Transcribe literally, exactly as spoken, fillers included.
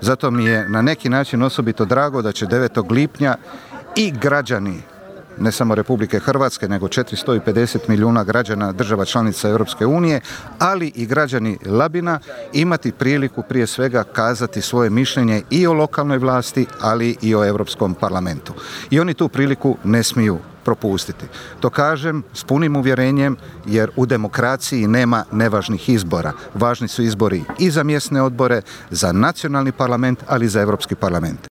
Zato mi je na neki način osobito drago da će devetog lipnja i građani, ne samo Republike Hrvatske, nego četiristo pedeset milijuna građana država članica Europske unije, ali i građani Labina imati priliku prije svega kazati svoje mišljenje i o lokalnoj vlasti, ali i o Europskom parlamentu. I oni tu priliku ne smiju propustiti. To kažem s punim uvjerenjem jer u demokraciji nema nevažnih izbora. Važni su izbori i za mjesne odbore, za nacionalni parlament, ali i za Europski parlament.